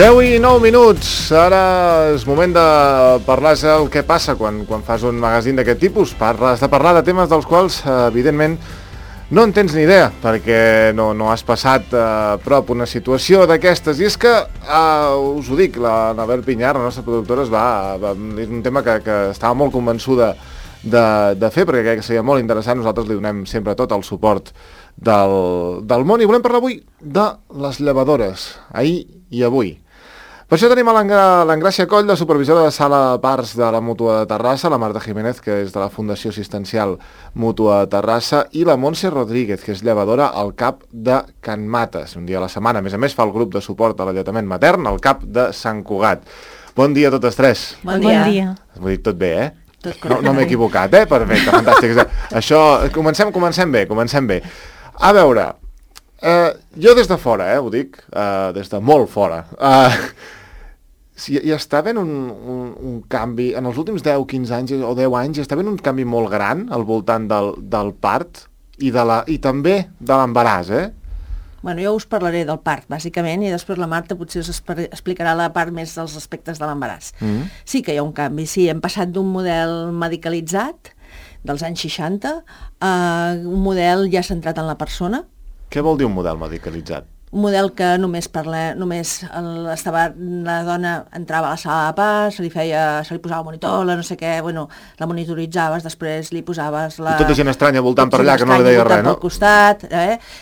10:09. Ara és moment de parlar el que passa quan fas un magazín d'aquest tipus. Has de parlar de temes dels quals, evidentment, no en tens ni idea, perquè no has passat a prop una situació d'aquestes. I és que, us ho dic, l'Anabel Pinyar, la nostra productora, és un tema que estava molt convençuda de fer, perquè crec que seria molt interessant. Nosaltres li donem sempre tot el suport del món, i volem parlar avui de les llevadores, ahir i avui. Per això tenim a l'Engràcia Coll, la supervisora de sala de parts de la Mútua de Terrassa, la Marta Jiménez, que és de la Fundació Assistencial Mútua de Terrassa, i la Montse Rodríguez, que és llevadora al CAP de Can Mates, un dia a la setmana. A més, fa el grup de suport a l'alletament matern al CAP de Sant Cugat. Bon dia a totes tres. Bon dia. Ho dic tot bé, No m'he equivocat, Perfecte, fantàstic. Això, comencem bé. A veure, jo des de fora, ho dic, des de molt fora, hi està havent un canvi, en els últims 10-15 anys o 10 anys, hi està havent un canvi molt gran al voltant del part i també de l'embaràs, Bueno, jo us parlaré del part, bàsicament, i després la Marta potser us explicarà la part més dels aspectes de l'embaràs. Sí que hi ha un canvi, sí, hem passat d'un model medicalitzat dels anys 60 a un model ja centrat en la persona. Què vol dir un model medicalitzat? Un model que la dona entrava a la sala de part, se li posava monitor, no sé què, la monitoritzaves, després li posaves I tota gent estranya voltant per allà, que no li deia res, no? Pel costat,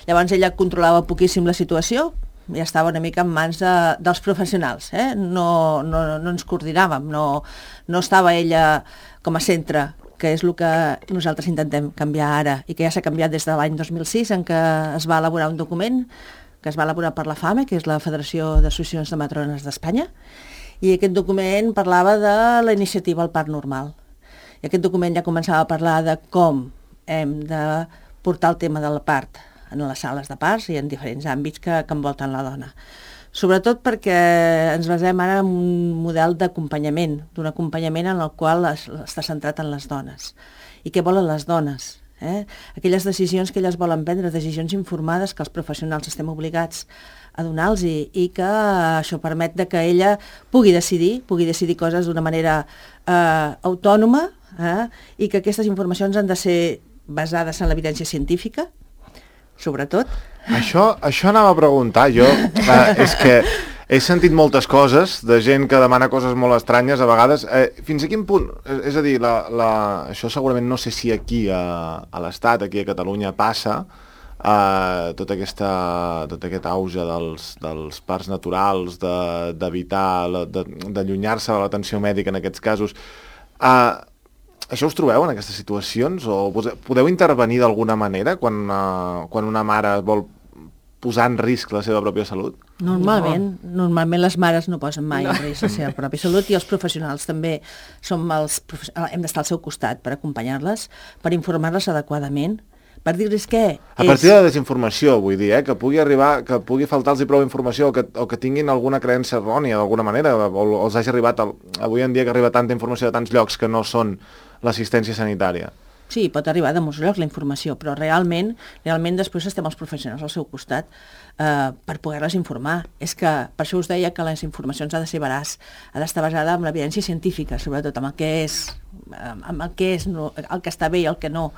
Llavors ella controlava poquíssim la situació, ja estava una mica en mans dels professionals, no ens coordinàvem, no estava ella com a centre, que és el que nosaltres intentem canviar ara, i que ja s'ha canviat des de l'any 2006, en què es va elaborar un document que es va elaborar per la FAME, que és la Federació d'Associacions de Matrones d'Espanya, i aquest document parlava de la iniciativa al part normal. I aquest document ja començava a parlar de com hem de portar el tema del part en les sales de parts i en diferents àmbits que envolten la dona. Sobretot perquè ens basem ara en un model d'acompanyament, d'un acompanyament en el qual està centrat en les dones. I què volen les dones? Aquelles decisions que elles volen prendre, decisions informades que els professionals estem obligats a donar-los i que això permet que ella pugui decidir coses d'una manera autònoma, i que aquestes informacions han de ser basades en l'evidència científica, sobretot. Això anava a preguntar jo. És que he sentit moltes coses de gent que demana coses molt estranyes a vegades. Fins a quin punt? És a dir, això segurament no sé si aquí a l'Estat, aquí a Catalunya passa, tot aquest auge dels parts naturals, d'evitar, d'allunyar-se de l'atenció mèdica en aquests casos. Això us trobeu en aquestes situacions? O podeu intervenir d'alguna manera quan una mare vol posar en risc la seva pròpia salut? Normalment les mares no posen mai en risc la seva pròpia salut, i els professionals també hem d'estar al seu costat per acompanyar-les, per informar-les adequadament, per dir-los què a partir de la desinformació, vull dir, que pugui faltar-los prou informació o que tinguin alguna creença errònia d'alguna manera, o els hagi arribat avui en dia que arriba tanta informació de tants llocs que no són l'assistència sanitària. Sí, pot arribar de molts llocs la informació, però realment després estem els professionals al seu costat per poder-les informar. És que per això us deia que les informacions ha de ser veraç, ha d'estar basada en l'evidència científica, sobretot amb el que és el que està bé i el que no.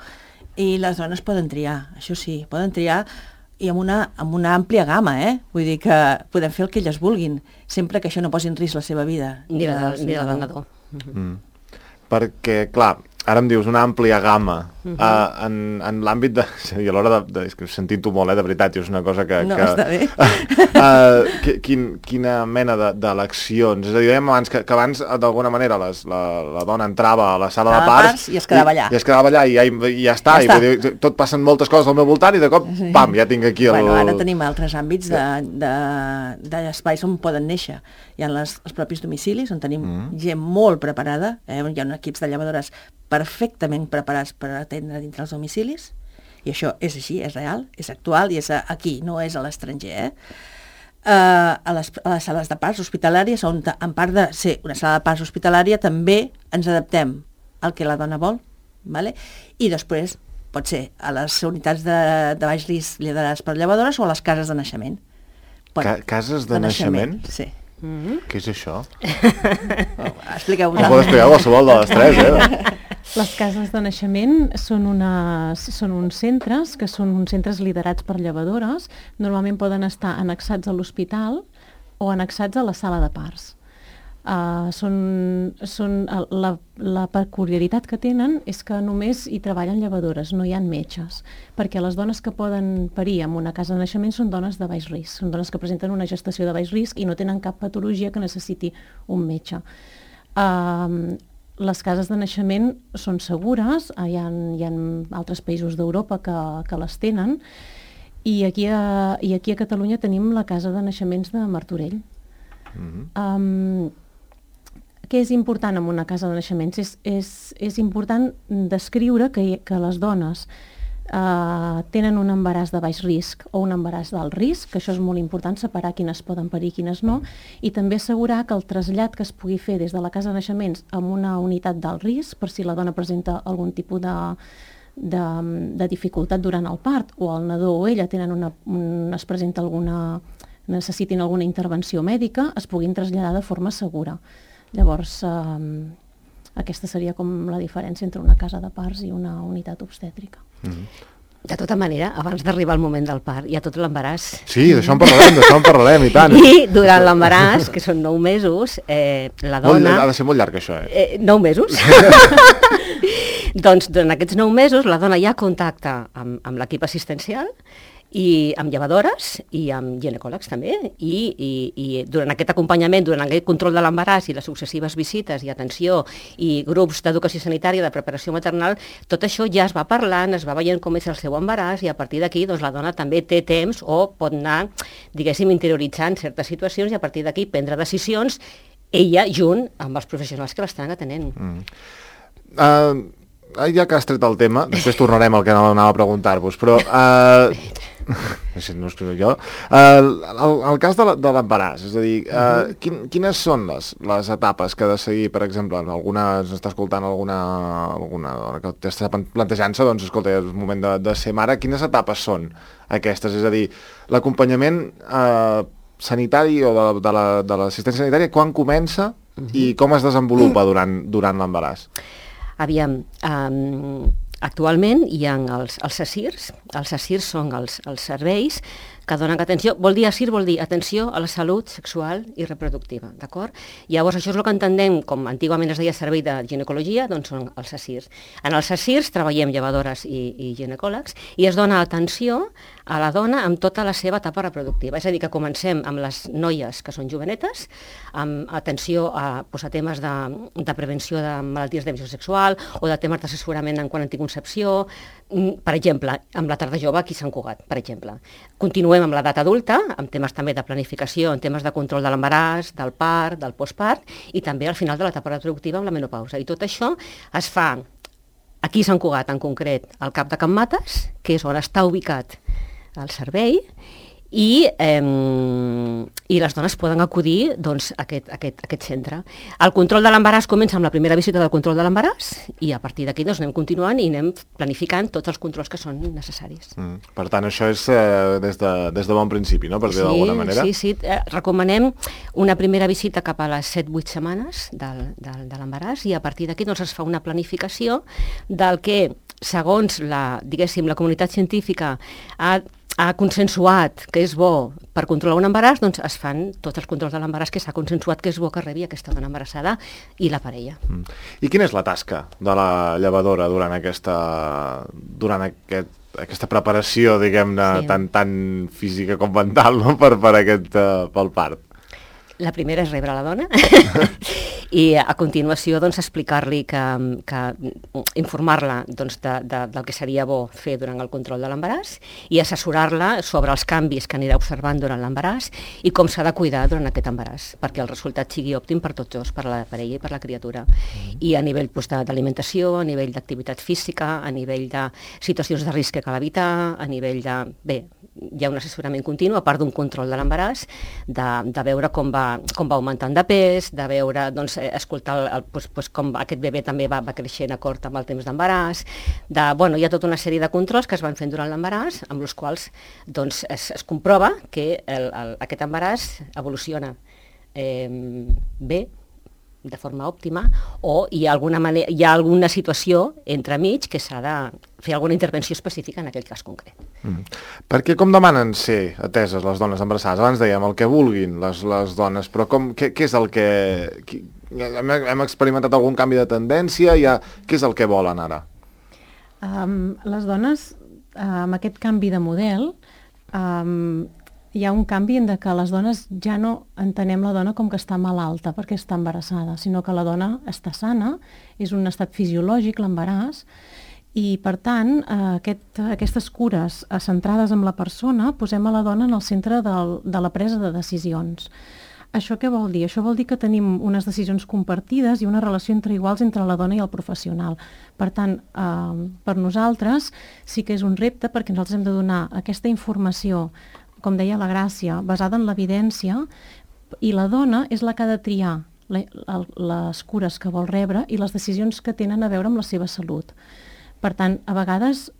I les dones poden triar, això sí, poden triar, i amb una àmplia gamma, Vull dir que podem fer el que elles vulguin, sempre que això no posi en risc la seva vida. Ni la del nadó. Perquè, clar, ara em dius una àmplia gamma en l'àmbit de... I a l'hora de... És que sentint-ho molt, de veritat, és una cosa que... No, està bé. Quina mena d'eleccions? És a dir, dèiem abans que abans, d'alguna manera, la dona entrava a la sala de parts i es quedava allà. I es quedava allà i ja està. I tot passen moltes coses al meu voltant i de cop, pam, ja tinc aquí el... Ara tenim altres àmbits d'espais on poden néixer. Hi ha els propis domicilis, on tenim gent molt preparada, hi ha equips de llevadores perfectament preparats per atendre dintre els domicilis, i això és així, és real, és actual i és aquí, no és a l'estranger. A les sales de parts hospitalàries, on en part de ser una sala de parts hospitalària també ens adaptem al que la dona vol, i després pot ser a les unitats de baix risc liderades per llevadores o a les cases de naixement. Cases de naixement? Sí. Què és això? Expliqueu-vos. Ho pot explicar qualsevol de les tres, Les cases de naixement són uns centres que són uns centres liderats per llevadores. Normalment poden estar annexats a l'hospital o annexats a la sala de parts. La peculiaritat que tenen és que només hi treballen llevadores, no hi ha metges, perquè les dones que poden parir en una casa de naixement són dones de baix risc, són dones que presenten una gestació de baix risc i no tenen cap patologia que necessiti un metge. Les cases de naixement són segures, hi ha altres països d'Europa que les tenen, i aquí a Catalunya tenim la casa de naixements de Martorell. Què és important en una casa de naixements? És important descriure que les dones tenen un embaràs de baix risc o un embaràs d'alt risc, que això és molt important, separar quines poden parir i quines no, i també assegurar que el trasllat que es pugui fer des de la casa de naixements a una unitat d'alt risc, per si la dona presenta algun tipus de dificultat durant el part, o el nadó o ella es presenta necessitin alguna intervenció mèdica, es puguin traslladar de forma segura. Llavors, aquesta seria com la diferència entre una casa de parts i una unitat obstètrica. De tota manera, abans d'arribar al moment del part, hi ha tot l'embaràs. Sí, d'això en parlarem, i tant. I durant l'embaràs, que són 9 mesos, la dona... Ha de ser molt llarg, això, 9 mesos? Doncs durant aquests 9 mesos la dona ja contacta amb l'equip assistencial i amb llevadores i amb ginecòlegs també, i durant aquest acompanyament, durant aquest control de l'embaràs i les successives visites i atenció i grups d'educació sanitària, de preparació maternal, tot això ja es va parlant, es va veient com és el seu embaràs, i a partir d'aquí doncs, la dona també té temps o pot anar, diguéssim, interioritzant certes situacions i a partir d'aquí prendre decisions, ella junt amb els professionals que l'estan atenent. Ja que has tret el tema, després tornarem al que anava a preguntar-vos, però... no escriu jo. El cas de l'embaràs, és a dir, quines són les etapes que ha de seguir, per exemple, ens està escoltant alguna dona que està plantejant-se, doncs, escolta, és el moment de ser mare, quines etapes són aquestes? És a dir, l'acompanyament sanitari o de l'assistència sanitària, quan comença i com es desenvolupa durant l'embaràs? Aviam, actualment hi ha els SACIRs. Els SACIRs són els serveis que donen atenció. ASIR vol dir atenció a la salut sexual i reproductiva, d'acord? Llavors, això és el que entenem, com antigament es deia servei de ginecologia, doncs són els SACIRs. En els SACIRs treballem llevadores i ginecòlegs i es dona atenció a la dona amb tota la seva etapa reproductiva. És a dir, que comencem amb les noies que són jovenetes, amb atenció a temes de prevenció de malalties de transmissió sexual o de temes d'assessorament en quant a anticoncepció, per exemple, amb la tarda jove aquí a Sant Cugat, per exemple. Continuem amb l'edat adulta, amb temes també de planificació, en temes de control de l'embaràs, del part, del postpart, i també al final de l'etapa reproductiva amb la menopausa. I tot això es fa aquí a Sant Cugat, en concret, al Cap de Can Mates, que és on està ubicat el servei, i les dones poden acudir doncs, a aquest centre. El control de l'embaràs comença amb la primera visita del control de l'embaràs i a partir d'aquí doncs, anem continuant i anem planificant tots els controls que són necessaris. Per tant, això és des de bon principi, no? Per dir d'alguna manera. Sí. Recomanem una primera visita cap a les 7-8 setmanes de l'embaràs i a partir d'aquí doncs, es fa una planificació del que, segons la comunitat científica ha consensuat que és bo per controlar un embaràs, doncs es fan tots els controls de l'embaràs que s'ha consensuat que és bo que rebi aquesta dona embarassada i la parella. I quina és la tasca de la llevadora durant aquesta preparació, diguem-ne, tan física com mental, no? pel part? La primera és rebre la dona i a continuació doncs, explicar-li informar-la doncs, del que seria bo fer durant el control de l'embaràs i assessorar-la sobre els canvis que anirà observant durant l'embaràs i com s'ha de cuidar durant aquest embaràs perquè el resultat sigui òptim per tots dos, per la parella i per la criatura. I a nivell d'alimentació, a nivell d'activitat física, a nivell de situacions de risc que cal evitar, a nivell de... Bé, hi ha un assessorament continu, a part d'un control de l'embaràs, de veure com va augmentant de pes, de veure, doncs, escoltar com aquest bebè també va creixent acord amb el temps d'embaràs, hi ha tota una sèrie de controls que es van fent durant l'embaràs, amb els quals doncs, es comprova que aquest embaràs evoluciona bé, de forma òptima, o hi ha alguna situació entremig que s'ha de fer alguna intervenció específica en aquell cas concret. Perquè com demanen ser ateses les dones embarassades? Abans dèiem el que vulguin les dones, però què és el que... Hem experimentat algun canvi de tendència? Què és el que volen ara? Les dones, amb aquest canvi de model, hi ha un canvi en que les dones ja no entenem la dona com que està malalta perquè està embarassada, sinó que la dona està sana, és un estat fisiològic l'embaràs, i per tant aquestes cures centrades en la persona posem a la dona en el centre de la presa de decisions. Això què vol dir? Això vol dir que tenim unes decisions compartides i una relació entre iguals entre la dona i el professional. Per tant, per nosaltres sí que és un repte perquè nosaltres hem de donar aquesta informació, com deia la Gràcia, basada en l'evidència, i la dona és la que ha de triar les cures que vol rebre i les decisions que tenen a veure amb la seva salut. Per tant, a vegades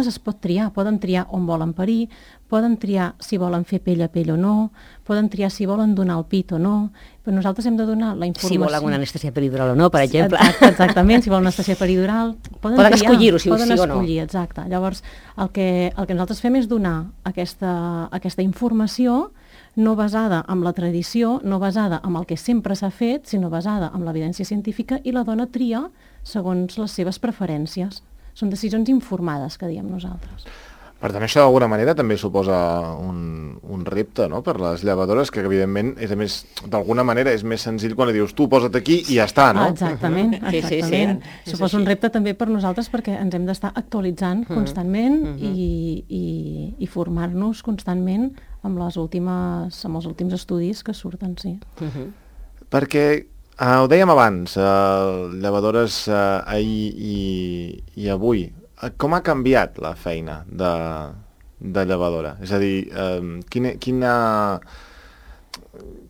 es pot triar, poden triar on volen parir, poden triar si volen fer pell a pell o no, poden triar si volen donar el pit o no, però nosaltres hem de donar la informació. Si volen una anestèsia peridural o no, per exemple. Exactament, si volen una anestèsia peridural, poden escollir-ho, si poden sí o no. escollir, exacte. Llavors, el que nosaltres fem és donar aquesta informació no basada en la tradició, no basada en el que sempre s'ha fet, sinó basada en l'evidència científica, i la dona tria segons les seves preferències. Són decisions informades, que diem nosaltres. Per tant, això d'alguna manera també suposa un repte, no?, per les llevadores, que evidentment d'alguna manera és més senzill quan li dius tu posa't aquí i ja està, no? Exactament. Sí. Suposa un repte també per nosaltres perquè ens hem d'estar actualitzant constantment i formar-nos constantment amb els últims estudis que surten, sí. Perquè ho dèiem abans, llevadores ahir i avui, com ha canviat la feina de llevadora? És a dir,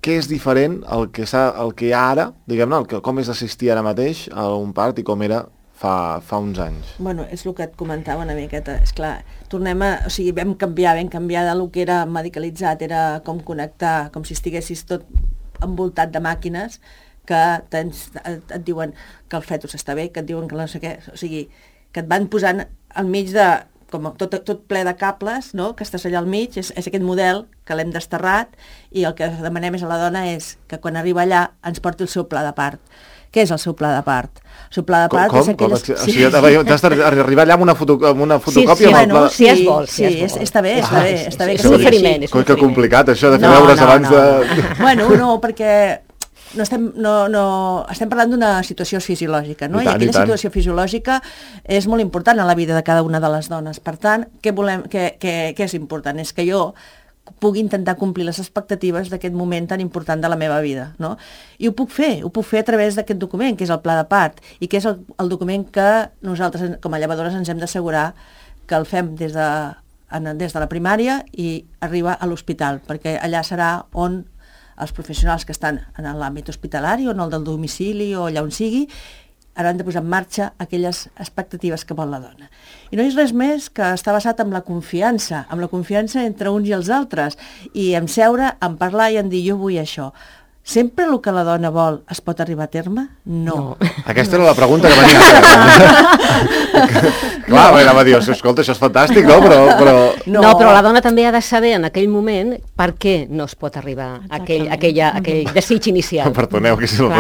què és diferent el que hi ha ara, diguem-ne, com és assistir ara mateix a un part i com era fa uns anys? Bueno, és el que et comentava una miqueta. Esclar, vam canviar del que era medicalitzat, era com connectar, com si estiguessis tot envoltat de màquines, que et diuen que el fetus està bé, que et diuen que no sé què, o sigui, que et van posant al mig de, com tot ple de cables, no?, que estàs allà al mig, és aquest model que l'hem desterrat, i el que demanem a la dona és que quan arriba allà ens porti el seu pla de part. Què és el seu pla de part? El seu pla de part és aquelles... O sigui, t'has d'arribar allà amb una fotocòpia amb el pla de... Si es vol. Sí, està bé. És un oferiment. Que complicat, això de fer deures abans de... Bueno, no, perquè... estem parlant d'una situació fisiològica, no? I aquella situació fisiològica és molt important en la vida de cada una de les dones. Per tant, què és important? És que jo pugui intentar complir les expectatives d'aquest moment tan important de la meva vida, no? I ho puc fer a través d'aquest document, que és el pla de part, i que és el document que nosaltres, com a llevadores, ens hem d'assegurar que el fem des de la primària i arriba a l'hospital, perquè allà serà on els professionals que estan en l'àmbit hospitalari o en el del domicili o allà on sigui, hauran de posar en marxa aquelles expectatives que vol la dona. I no és res més que està basat en la confiança entre uns i els altres, i en seure, en parlar i en dir jo vull això. Sempre el que la dona vol es pot arribar a terme? No. Aquesta era la pregunta que venia a fer. Clar, va dir, escolta, això és fantàstic, no? No, però la dona també ha de saber en aquell moment per què no es pot arribar a aquell desig inicial. Perdoneu, que és la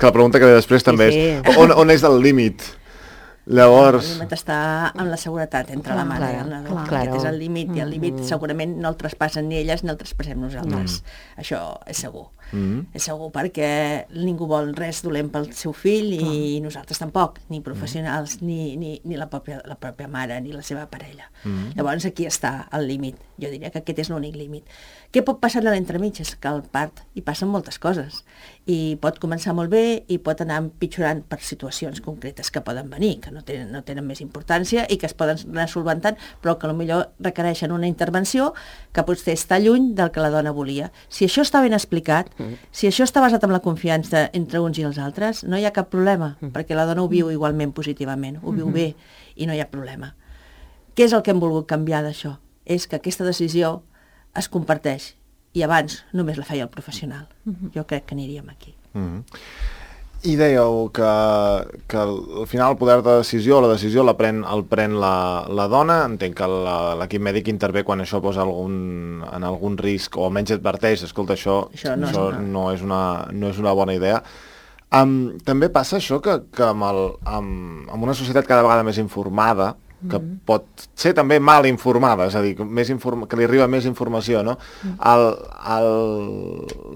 pregunta que ve després també és on és el límit? Llavors... El límit està en la seguretat entre la mare i el nadó. Aquest és el límit, i el límit segurament no el traspassen ni elles ni el traspassem nosaltres. Això és segur. És segur, perquè ningú vol res dolent pel seu fill i nosaltres tampoc, ni professionals, ni la pròpia mare, ni la seva parella. Llavors aquí està el límit. Jo diria que aquest és l'únic límit. Què pot passar a l'entremig? És que al part hi passen moltes coses. I pot començar molt bé i pot anar empitjorant per situacions concretes que poden venir, que no tenen més importància i que es poden anar solventant, però que potser requereixen una intervenció que potser està lluny del que la dona volia. Si això està ben explicat, si això està basat en la confiança entre uns i els altres, no hi ha cap problema, perquè la dona ho viu igualment positivament, ho viu bé i no hi ha problema. Què és el que hem volgut canviar d'això? És que aquesta decisió es comparteix i abans només la feia el professional. Jo crec que aniríem aquí. I dèieu que al final el poder de decisió, la decisió el pren la dona. Entenc que l'equip mèdic intervé quan això posa en algun risc, o almenys adverteix, escolta, això no és una bona idea. També passa això que amb una societat cada vegada més informada, que pot ser també mal informada, és a dir, que li arriba més informació, no?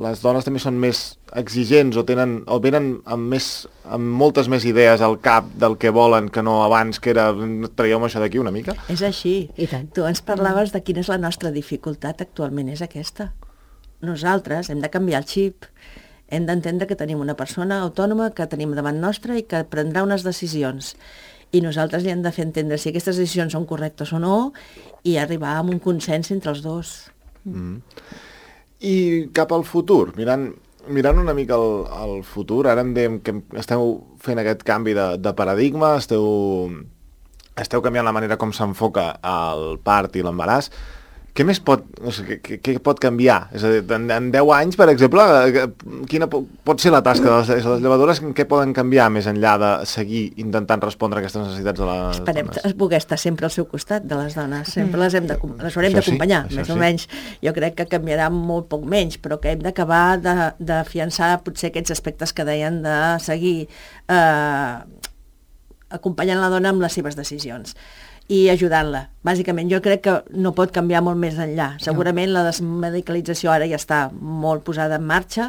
Les dones també són més exigents o venen amb moltes més idees al cap del que volen que no abans, que era traieu-me això d'aquí una mica? És així. Tu ens parlaves de quina és la nostra dificultat actualment, és aquesta. Nosaltres hem de canviar el xip, hem d'entendre que tenim una persona autònoma que tenim davant nostra i que prendrà unes decisions. I nosaltres li hem de fer entendre si aquestes decisions són correctes o no i arribar a un consens entre els dos. I cap al futur, mirant una mica al futur, ara em dèiem que esteu fent aquest canvi de paradigma, esteu canviant la manera com s'enfoca el part i l'embaràs. Què més pot canviar? És a dir, en 10 anys, per exemple, quina pot ser la tasca de les llevadores? Què poden canviar més enllà de seguir intentant respondre a aquestes necessitats de les dones? Esperem poder estar sempre al seu costat de les dones. Sempre les haurem d'acompanyar, més o menys. Jo crec que canviarà molt poc menys, però que hem d'acabar d'afiançar potser aquests aspectes que deien de seguir acompanyant la dona amb les seves decisions i ajudant-la. Bàsicament, jo crec que no pot canviar molt més enllà. Segurament la desmedicalització ara ja està molt posada en marxa.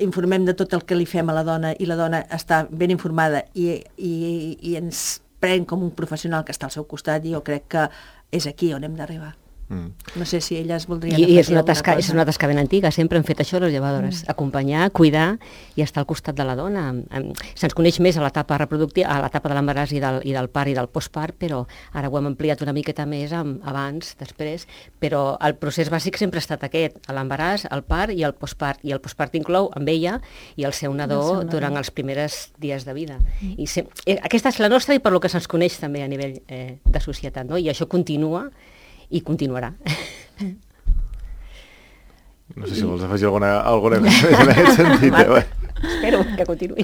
Informem de tot el que li fem a la dona i la dona està ben informada i ens pren com un professional que està al seu costat i jo crec que és aquí on hem d'arribar. No sé si elles voldrien I és una tasca ben antiga, sempre hem fet això les llevadores, acompanyar, cuidar i estar al costat de la dona. Se'ns coneix més a l'etapa reproductiva, a l'etapa de l'embaràs i del part i del postpart, però ara ho hem ampliat una miqueta més abans, després, però el procés bàsic sempre ha estat aquest, l'embaràs, el part i el postpart, i el postpart inclou amb ella i el seu nadó durant els primers dies de vida. I aquesta és la nostra i per lo que se'ns coneix també a nivell de societat, no? I això continua i continuarà. No sé si vols afegir alguna cosa més en aquest sentit. Espero que continuï.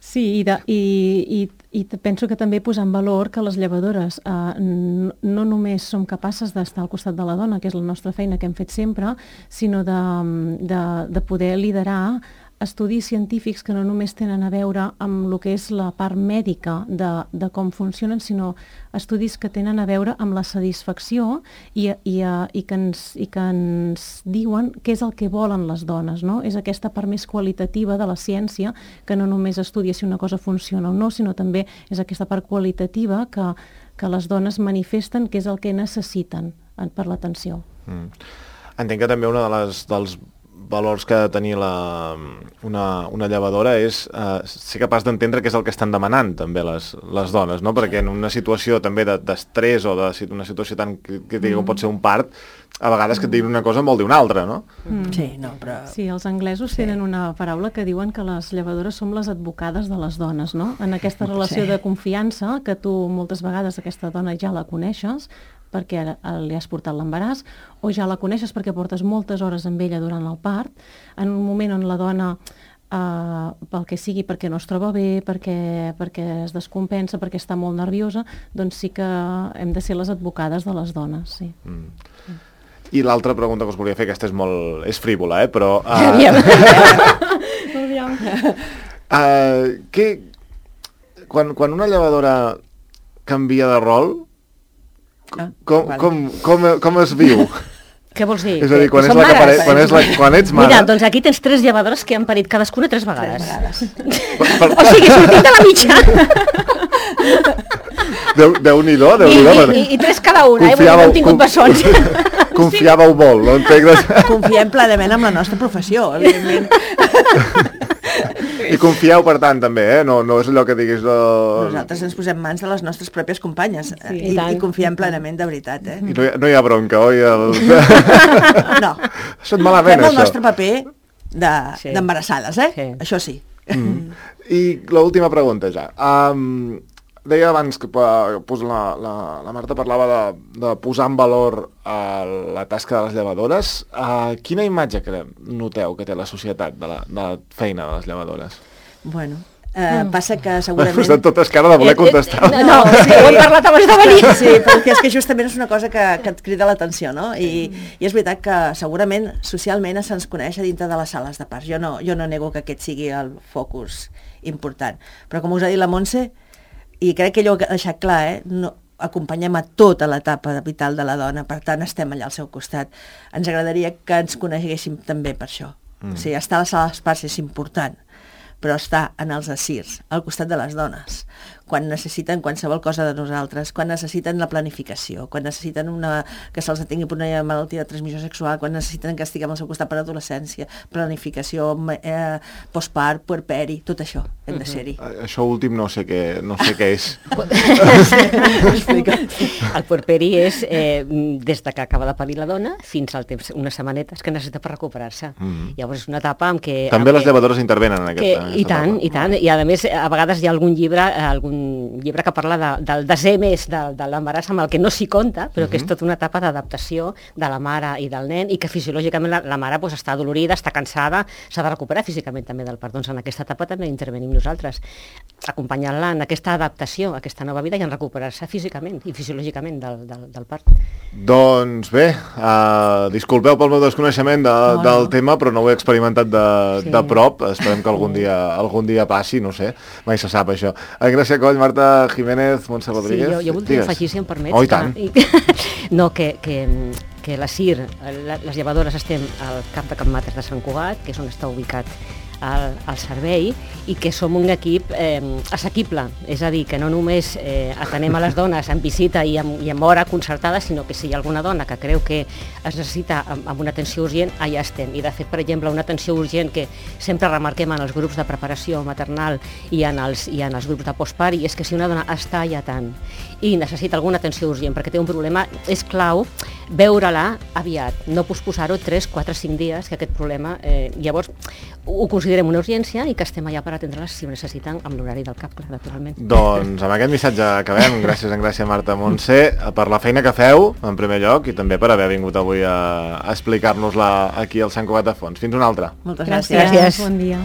Sí, i penso que també posar en valor que les llevadores no només som capaces d'estar al costat de la dona, que és la nostra feina que hem fet sempre, sinó de poder liderar estudis científics que no només tenen a veure amb el que és la part mèdica de com funcionen, sinó estudis que tenen a veure amb la satisfacció i que ens diuen què és el que volen les dones, no? És aquesta part més qualitativa de la ciència que no només estudia si una cosa funciona o no, sinó també és aquesta part qualitativa que les dones manifesten que és el que necessiten per l'atenció. Entenc que també una dels valors que ha de tenir una llevadora és ser capaç d'entendre què és el que estan demanant també les dones, no? Perquè en una situació també d'estrès o d'una situació tan crítica com pot ser un part, a vegades que et diguin una cosa en vol dir una altra, no? Sí, no, però... Sí, els anglesos tenen una paraula que diuen que les llevadores som les advocades de les dones, no? En aquesta relació de confiança, que tu moltes vegades aquesta dona ja la coneixes, perquè li has portat l'embaràs, o ja la coneixes perquè portes moltes hores amb ella durant el part, en un moment on la dona, pel que sigui, perquè no es troba bé, perquè es descompensa, perquè està molt nerviosa, doncs sí que hem de ser les advocades de les dones, sí. I l'altra pregunta que us volia fer, aquesta és frívola, però... Quan una llevadora canvia de rol, com es viu? Què vols dir? És a dir, quan ets mare... Mira, doncs aquí tens 3 llevadores que han parit cadascuna 3 vegades. O sigui, sortint de la mitja. Déu-n'hi-do. I 3 cada una, no hem tingut bessons. Confiàveu molt, no entenc? Confiem plenament en la nostra professió, evidentment. I confieu, per tant, també, no és allò que diguis... Nosaltres ens posem mans de les nostres pròpies companyes i confiem plenament, de veritat. I no hi ha bronca, oi? No. Això et malament, fem el nostre paper d'embarassades, Sí. Això sí. I l'última pregunta ja. deia abans que la Marta parlava de posar en valor la tasca de les llevadores. Quina imatge noteu que té la societat de la feina de les llevadores? Bueno, passa que segurament... Us estan totes cara de voler contestar. No, sí, ho hem parlat abans de venir. Sí, perquè és que justament és una cosa que et crida l'atenció, no? I és veritat que segurament socialment se'ns coneix a dintre de les sales de parts. Jo no nego que aquest sigui el focus important. Però com us ha dit la Montse, i crec que ell ho ha deixat clar, acompanyem a tota l'etapa vital de la dona, per tant estem allà al seu costat. Ens agradaria que ens coneguéssim també per això. O sigui, estar a les sales de parts és important, però està en els ASIRs, al costat de les dones, quan necessiten qualsevol cosa de nosaltres, quan necessiten la planificació, quan necessiten que se'ls atingui per una malaltia de transmissió sexual, quan necessiten que estiguem al seu costat per adolescència, planificació, postpart, puerperi, tot això hem de ser-hi. Això últim no sé què és. El puerperi és des de que acaba de parir la dona fins al temps, unes setmanetes que necessita per recuperar-se. Llavors és una etapa en què... També les llevadores intervenen en aquesta I tant, i a més a vegades hi ha algun llibre que parla del desè mes de l'embaràs amb el que no s'hi compta, però que és tota una etapa d'adaptació de la mare i del nen, i que fisiològicament la mare està adolorida, està cansada, s'ha de recuperar físicament també del part. Doncs en aquesta etapa també intervenim nosaltres, acompanyant-la en aquesta adaptació a aquesta nova vida i en recuperar-se físicament i fisiològicament del part. Doncs bé, disculpeu pel meu desconeixement del tema, però no ho he experimentat de prop. Esperem que algun dia passi, no sé, mai se sap això. Gràcia Coll, Marta Jiménez, Montse Rodríguez. Sí, jo voldria afegir, si em permets. Oh, i tant. No, que la CIR, les llevadores, estem al Camp de Capmates de Sant Cugat, que és on està ubicat al servei, i que som un equip assequible, és a dir, que no només atenem a les dones en visita i amb hora concertada, sinó que si hi ha alguna dona que creu que es necessita amb una atenció urgent, allà estem. I de fet, per exemple, una atenció urgent que sempre remarquem en els grups de preparació maternal i en els grups de postpart, és que si una dona està allà tant i necessita alguna atenció urgent perquè té un problema, és clau veure-la aviat, no posposar-ho 3, 4, 5 dies, que aquest problema llavors ho considerem una urgència i que estem allà per atendre-les si ho necessiten amb l'horari del CAP, clar, naturalment. Doncs amb aquest missatge acabem. Gràcies, Marta, Montse, per la feina que feu, en primer lloc, i també per haver vingut avui a explicar-nos-la aquí al Sant Cugat de Fons. Fins una altra. Moltes gràcies. Bon dia.